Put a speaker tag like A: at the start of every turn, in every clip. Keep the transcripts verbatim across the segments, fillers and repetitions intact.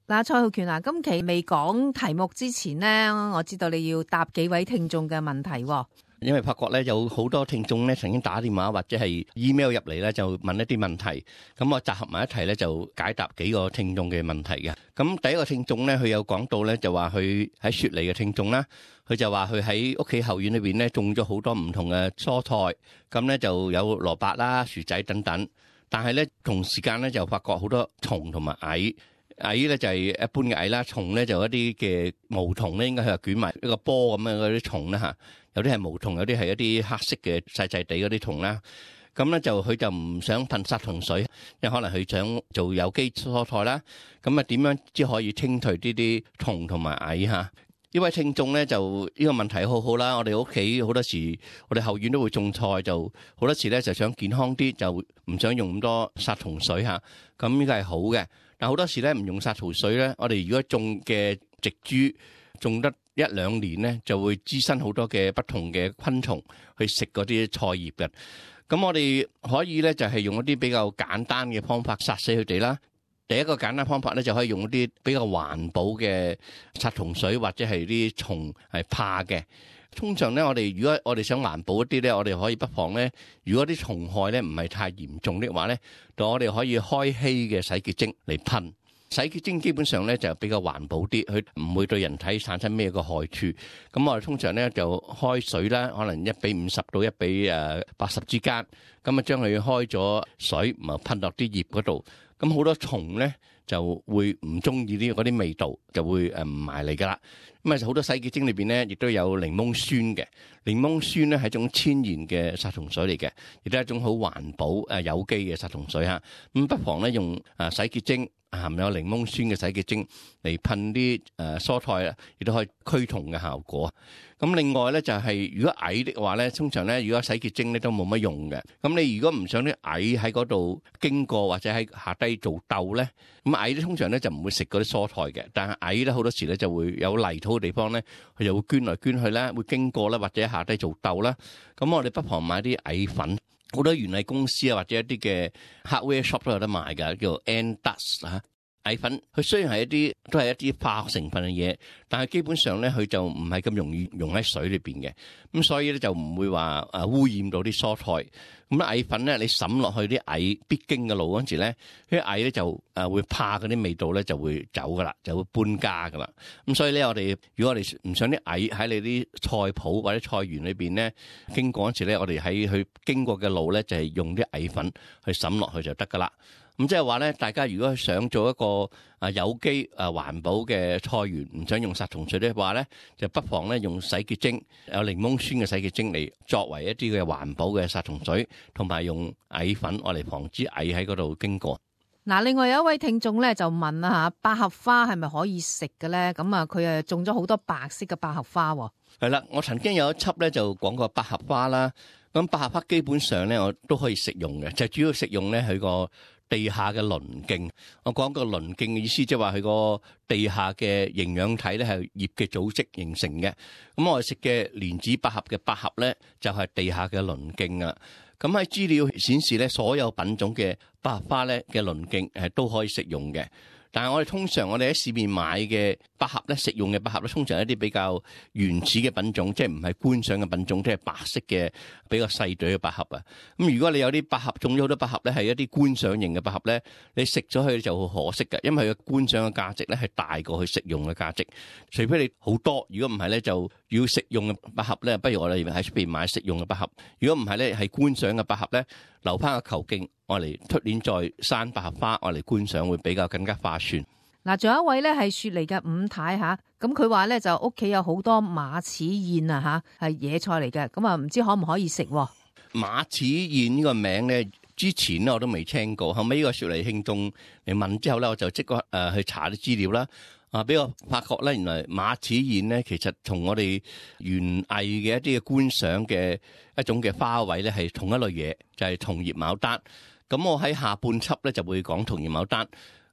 A: 嗱，蔡浩權啊，今期未講題目之前呢，我知道你要答幾位聽眾嘅問題。
B: 因為發覺咧有好多聽眾咧曾經打電話或者係 email 入嚟咧，就問一啲問題，咁我集合埋一齊咧就解答幾個聽眾嘅問題嘅。咁第一個聽眾咧，佢有講到咧就話佢喺雪梨嘅聽眾啦，佢就話佢喺屋企後院裏邊咧種咗好多唔同嘅蔬菜，咁咧就有蘿蔔啦、薯仔等等，但係咧同時間咧就發覺好多蟲同埋蟻。蟻咧就係一般嘅蟻啦，蟲咧就一啲嘅毛蟲咧，應該係捲埋一個波咁樣嗰啲蟲啦嚇。有啲係毛蟲，有啲係一啲黑色嘅細細地嗰啲蟲啦。咁咧就佢就唔想噴殺蟲水，因為可能佢想做有機蔬菜啦。咁啊點樣先可以清除呢啲蟲同埋蟻嚇？呢位聽眾咧就呢個問題好好啦。我哋屋企好多時，我哋後院都會種菜，就好多時咧就想健康啲，就唔想用咁多殺蟲水嚇。咁呢個係好嘅。但好多時咧唔用殺蟲水咧，我哋如果種嘅植株種得一兩年咧，就會滋生好多嘅不同嘅昆蟲去食嗰啲菜葉嘅。咁我哋可以咧就係用一啲比較簡單嘅方法殺死佢哋啦。第一個簡單方法咧就可以用一啲比較環保嘅殺蟲水，或者係啲蟲係怕嘅。通常咧，我哋如果我哋想環保一啲咧，我哋可以不妨咧，如果啲蟲害咧唔係太嚴重的話咧，就我哋可以開稀嘅洗潔精嚟噴。洗潔精基本上咧就比較環保啲，佢唔會對人體產生咩個害處。咁我哋通常咧就開水啦，可能一比五十到一比誒八十之間，咁啊將佢開咗水，咪噴落啲葉嗰度。咁好多蟲咧就會唔中意啲嗰啲味道，就會誒唔埋嚟噶啦。咁啊好多洗潔精裏邊咧，亦都有檸檬酸嘅。檸檬酸咧係一種天然嘅殺蟲水嚟嘅，亦都係一種好環保誒有機嘅殺蟲水嚇。咁不妨咧用誒洗潔精含有檸檬酸嘅洗潔精嚟噴啲誒蔬菜啊，亦都可以驅蟲嘅效果。咁另外咧就係如果蟻的話咧，通常咧如果洗潔精咧都冇乜用嘅。咁你如果唔想啲蟻喺嗰度經過或者喺下低做竇咧，咁蟻咧通常咧就唔會食嗰啲蔬菜嘅。但係蟻咧好多時咧就會有泥土嘅地方咧，佢就會捐來捐去啦，會經過啦或者下低做竇啦。咁我哋不妨買啲蟻粉，好多園藝公司啊或者一啲嘅 hardware shop 都有得賣㗎，叫做 Ant Dust 啊。蟻粉佢雖然係一啲都係一啲化學成分嘅嘢，但係基本上咧佢就唔係咁容易溶喺水裏邊嘅，咁所以咧就唔會話誒污染到啲蔬菜。咁蟻粉咧你滲落去啲蟻必經嘅路嗰陣時咧，啲蟻咧就誒會怕嗰啲味道咧就會走噶啦，就會搬家噶啦。咁所以咧我哋如果我哋唔想啲蟻喺你啲菜圃或者菜園裏邊咧經過嗰陣時咧，我哋喺佢經過嘅路咧就係用啲蟻粉去滲落去就得噶啦。咁即係話咧，大家如果想做一個啊有機啊環保嘅菜園，唔想用殺蟲水的話咧，就不妨咧用洗潔精，有檸檬酸嘅洗潔精嚟作為一啲嘅環保嘅殺蟲水，同埋用蟻粉我嚟防止蟻喺嗰度經過。
A: 嗱，另外有一位聽眾咧就問啦嚇，百合花係咪可以食嘅咧？咁啊，佢誒種咗好多白色嘅百合花喎。係
B: 啦，我曾經有一輯咧就講過百合花啦。咁百合花基本上咧我都可以食用嘅，就主要食用咧佢個地下嘅鱗莖。我講個鱗莖嘅意思，即係話佢個地下嘅營養體咧係葉嘅組織形成嘅。咁我哋食嘅蓮子百合嘅百合咧，就係地下嘅鱗莖啊。咁喺資料顯示咧，所有品種嘅百合花咧嘅鱗莖係都可以食用嘅。但係我哋通常我哋喺市面買嘅百合咧，食用嘅百合咧，通常係一啲比較原始嘅品種，即係唔係觀賞嘅品種，即係白色嘅比較細朵嘅百合啊。咁如果你有啲百合種咗好多百合咧，係一啲觀賞型嘅百合咧，你食咗佢就好可惜嘅，因為佢嘅觀賞嘅價值咧係大過佢食用嘅價值。除非你好多，如果唔係咧，就要食用嘅百合咧，不如我哋喺出邊買食用嘅百合。如果唔係咧，係觀賞嘅百合咧，留翻個球莖，我嚟出年再生百合花，我嚟觀賞會比較更加划算。
A: 嗱，仲有一位咧係雪梨嘅伍太吓，咁佢話咧就屋企有好多馬齒莧啊吓，係野菜嚟嘅，咁啊唔知可唔可以食？
B: 馬齒莧呢個名咧，之前咧我都未聽過，後尾呢個雪梨聽眾嚟問之後咧，我就即刻誒去查啲資料啦。啊！俾我發覺咧，原來馬齒莧咧，其實同我哋園藝嘅一啲嘅觀賞嘅一種嘅花卉咧，係同一類嘢，就係銅葉牡丹。咁我喺下半輯咧就會講銅葉牡丹。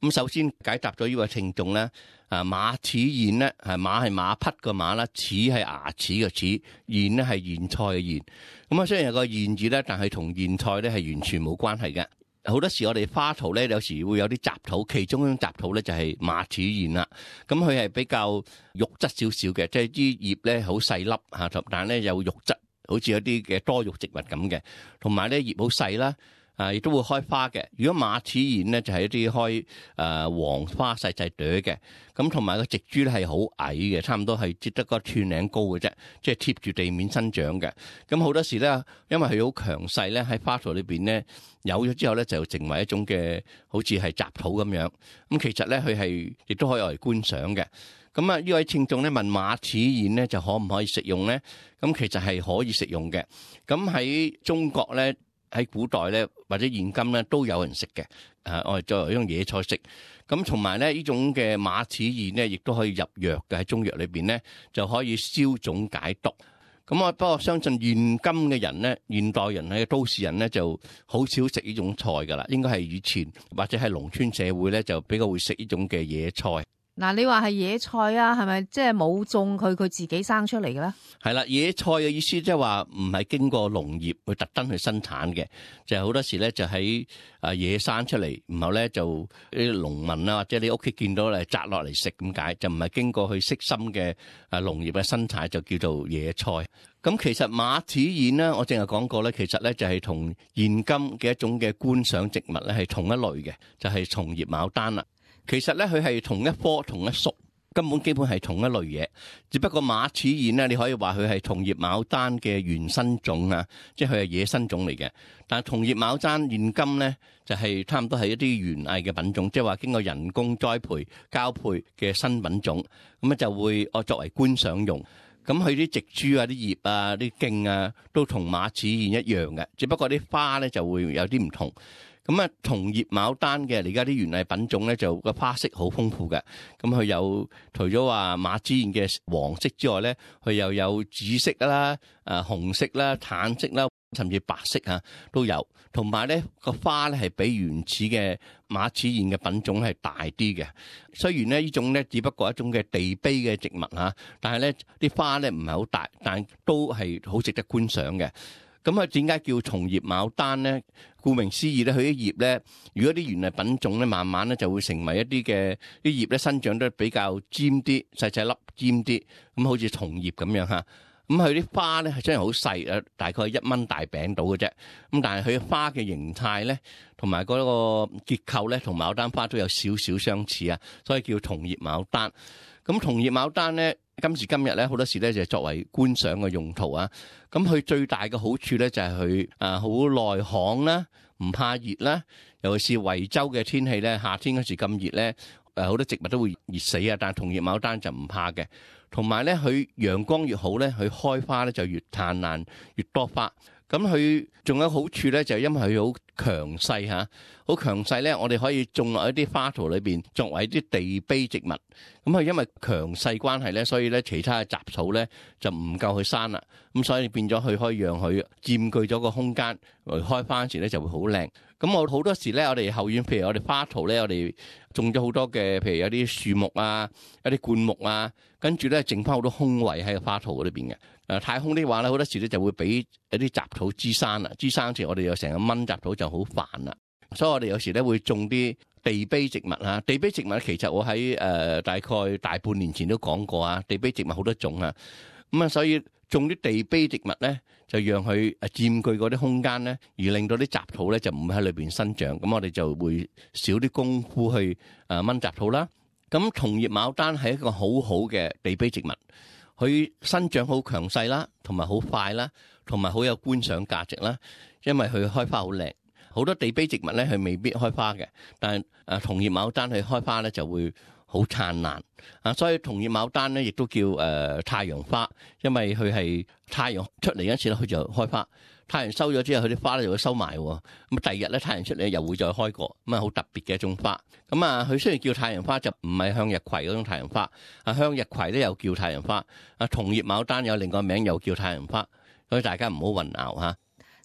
B: 咁首先解答咗呢位聽眾咧，啊馬齒莧咧係馬係馬匹個馬啦，齒係牙齒嘅齒，莧咧係莧菜嘅莧。咁啊雖然有個莧字咧，但係同莧菜咧係完全冇關係嘅。好多時我哋花圖咧，有時會有啲雜土，其中一種雜土咧就係馬齒莧啦。咁佢係比較肉質少少嘅，即係啲葉咧好細粒嚇，但係咧有肉質，好似有啲嘅多肉植物咁嘅，同埋咧葉好細啦。啊，亦都會開花嘅。如果馬齒莧咧，就係一啲開誒黃花細細朵嘅。咁同埋個植株咧係好矮嘅，差唔多係只得個寸零高嘅啫，即係貼住地面生長嘅。咁好多時咧，因為佢好強勢咧，喺花圖裏邊咧有咗之後咧，就成為一種嘅好似係雜土咁樣。咁其實咧，佢係亦都可以嚟觀賞嘅。咁啊，呢位聽眾咧問馬齒莧咧就可唔可以食用咧？咁其實係可以食用嘅。咁喺中國咧。喺古代咧，或者現今咧，都有人食嘅。誒，我哋作為一種野菜食。咁同埋咧，呢種嘅馬齒莧咧，亦都可以入藥嘅。喺中藥裏邊咧，就可以消腫解毒。咁我不過相信現今嘅人咧，現代人咧，都市人咧，就好少食呢種菜噶啦。應該係以前或者係農村社會咧，就比較會食呢種嘅野菜。
A: 嗱，你話係野菜啊，係咪即係冇種佢，佢自己生出嚟嘅咧？係
B: 啦，野菜嘅意思即係話唔係經過農業去特登去生產嘅，就係、是、好多時咧就喺啊野生出嚟，然後咧就啲農民啊或者你屋企見到嚟摘落嚟食咁解，就唔係經過去悉心嘅啊農業嘅生產，就叫做野菜。咁其實馬齒莧咧，我正係講過咧，其實咧就係同現今嘅一種嘅觀賞植物咧係同一類嘅，就係松葉牡丹啦。其實咧，佢係同一科同一屬，根本基本係同一類嘢。只不過馬齒莧咧，你可以話佢係松葉牡丹嘅原生種啊，即係佢係野生種嚟嘅。但係松葉牡丹現今咧，就係差唔多係一啲園藝嘅品種，即係話經過人工栽培、交配嘅新品種，咁咧就會我作為觀賞用。咁佢啲植株啊、啲葉啊、啲莖啊，都同馬齒莧一樣嘅，只不過啲花咧就會有啲唔同。咁啊，松葉牡丹嘅而家啲園藝品種咧，就個花色好豐富嘅。咁佢有除咗話馬齒莧嘅黃色之外咧，佢又有紫色啦、誒紅色啦、橙色啦，甚至白色嚇都有。同埋咧個花咧係比原始嘅馬齒莧嘅品種係大啲嘅。雖然咧呢種咧只不過係一種嘅地卑嘅植物嚇，但係咧啲花咧唔係好大，但都係好值得觀賞嘅。咁啊，點解叫松葉牡丹咧？顧名思義咧，佢啲葉咧，如果啲園藝品種咧，慢慢咧就會成為一啲嘅啲葉咧生長得比較尖啲、細細粒尖啲，咁好似松葉咁樣嚇。咁佢啲花咧係真係好細啊，大概一蚊大餅到嘅啫。咁但係佢花嘅形態咧，同埋嗰個結構咧，同牡丹花都有少少相似啊，所以叫松葉牡丹。咁松葉牡丹咧，今時今日咧好多時咧就係作為觀賞嘅用途啊。咁佢最大嘅好處咧就係佢啊好耐旱啦，唔怕熱啦。尤其是惠州嘅天氣咧，夏天嗰時咁熱咧，誒好多植物都會熱死啊。但係松葉牡丹就唔怕嘅。同埋咧，佢陽光越好咧，佢開花咧就越燦爛，越多花。咁佢仲有好處咧，就係因為佢好強勢嚇，好強勢咧，我哋可以種落一啲花圖裏邊，作為一啲地卑植物。咁佢因為強勢關係咧，所以咧其他嘅雜草咧就唔夠佢生啦。咁所以變咗佢可以讓佢佔據咗個空間，開花嗰時咧就會好靚。咁我好多時咧，我哋後院譬如我哋花圖咧，我哋種咗好多嘅，譬如有啲樹木啊，有啲灌木啊，跟住咧剩翻好多空位喺個花圖嗰裏邊嘅。誒太空的話咧，好多時咧就會俾一啲雜草滋生啦，滋生時我哋又成日掹雜草就好煩啦。所以我哋有時咧會種啲地卑植物啊。地卑植物其實我喺誒、呃、大概大半年前都講過啊。地卑植物好多種啊，咁啊所以種啲地卑植物咧，就讓佢誒佔據嗰啲空間咧，而令到啲雜草咧就唔會喺裏邊生長。咁我哋就會少啲功夫去誒掹雜草啦。咁松葉牡丹係一個好好嘅地卑植物。佢生長好強勢啦，同埋好快啦，同埋好有觀賞價值啦。因為佢開花好靚，好多地卑植物咧佢未必開花嘅，但係誒松葉牡丹佢開花咧就會好燦爛啊。所以松葉牡丹咧亦都叫誒、呃、太陽花，因為佢係太陽出嚟嗰時咧佢就開花，太陽收咗之後佢啲花咧就會收埋喎。咁第二日咧太陽出嚟又會再開過，咁啊好特別嘅一種花。咁啊，佢雖然叫太陽花，就唔係向日葵嗰種太陽花。啊，向日葵咧又叫太陽花。啊，松葉牡丹有另外一個名又叫太陽花，所以大家唔好混淆嚇。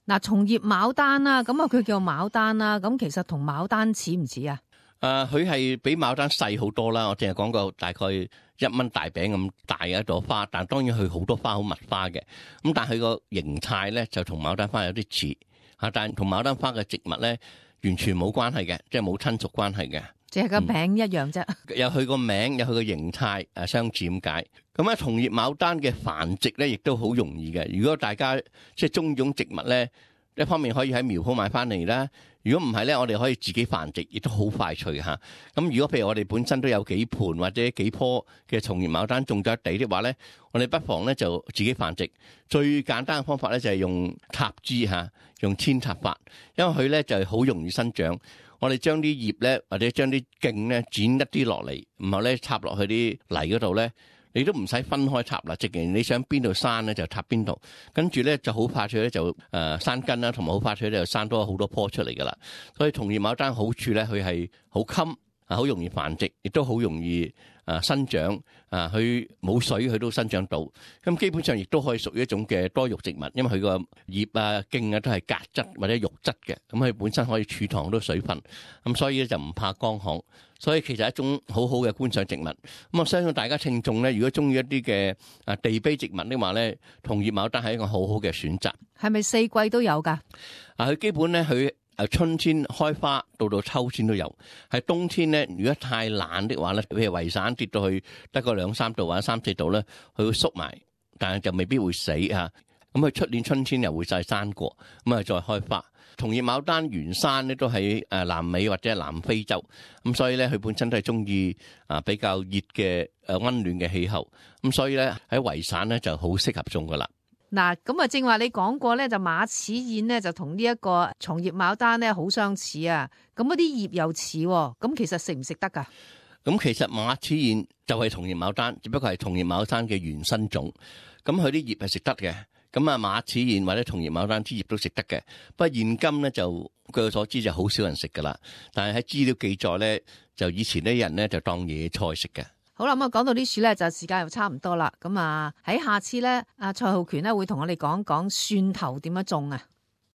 A: 嗱，松葉牡丹啦，咁啊佢叫牡丹啦，咁其實同牡丹似唔似啊？
B: 誒，佢係比牡丹細好多啦。我淨係講過大概一蚊大餅咁大嘅一朵花，但當然佢好多花好密花嘅。咁但係佢個形態咧就同牡丹花有啲似嚇，但同牡丹花嘅植物咧完全冇關係嘅，即係冇親屬關係嘅。
A: 只係個名一樣啫、
B: 嗯，有佢個名，有佢個形態，誒相似咁解。咁啊，同葉牡丹嘅繁殖咧，亦都好容易嘅。如果大家即係中意種植物咧，一方面可以喺苗圃買翻嚟啦。如果唔係咧，我哋可以自己繁殖，亦都好快脆嚇。咁如果譬如我哋本身都有幾盆或者幾棵嘅同葉牡丹種咗地的話咧，我哋不妨咧就自己繁殖。最簡單嘅方法咧就係用插枝嚇，用扦插法，因為佢咧就係好容易生長。我哋將啲葉咧，或者將啲莖咧剪一啲落嚟，然後咧插落去啲泥嗰度咧，你都唔使分開插啦，直情你想邊度生咧就插邊度，跟住咧就好快脆咧就誒生根啦，同埋好快脆咧就生多好多棵出嚟噶啦。所以同葉牡丹好處咧，佢係好襟啊，好容易繁殖，亦都好容易啊生長啊，佢冇水佢都生長到。咁基本上亦都可以屬於一種嘅多肉植物，因為佢個葉啊莖啊都係鉻質或者肉質嘅，咁佢本身可以儲藏好多水分，咁所以咧就唔怕乾旱。所以其實係一種好好嘅觀賞植物。咁我相信大家聽眾咧，如果中意一啲嘅啊地卑植物的話咧，同葉牡丹係一個好好嘅選擇。
A: 係咪四季都有㗎？
B: 啊，佢基本咧佢。誒春天開花到到秋天都有，係冬天咧，如果太冷的話咧，譬如圍散跌到去得個兩三度或者三四度咧，佢會縮埋，但係就未必會死嚇。咁佢出年春天又會再生過，咁啊再開花。同葉牡丹原生咧都喺誒南美或者係南非洲，咁所以咧佢本身都係中意啊比較熱嘅誒溫暖嘅氣候，咁所以咧喺圍散咧就好適合種噶啦。
A: 嗱，咁啊，正話你講過咧，就馬齒莧咧就同呢一個松葉牡丹咧好相似啊。咁嗰啲葉又似，咁其實食唔食得噶？
B: 咁其實馬齒莧就係同葉牡丹，只不過係同葉牡丹嘅原生種。咁佢啲葉係食得嘅。咁啊，馬齒莧或者同葉牡丹啲葉都食得嘅。不過現今咧就據我所知就好少人食噶啦。但係喺資料記載咧，就以前啲人咧就當野菜食嘅。
A: 好啦，咁啊講到呢處咧，就時間又差唔多啦。咁啊喺下次咧，阿蔡浩權咧會同我哋講講蒜頭點樣種啊。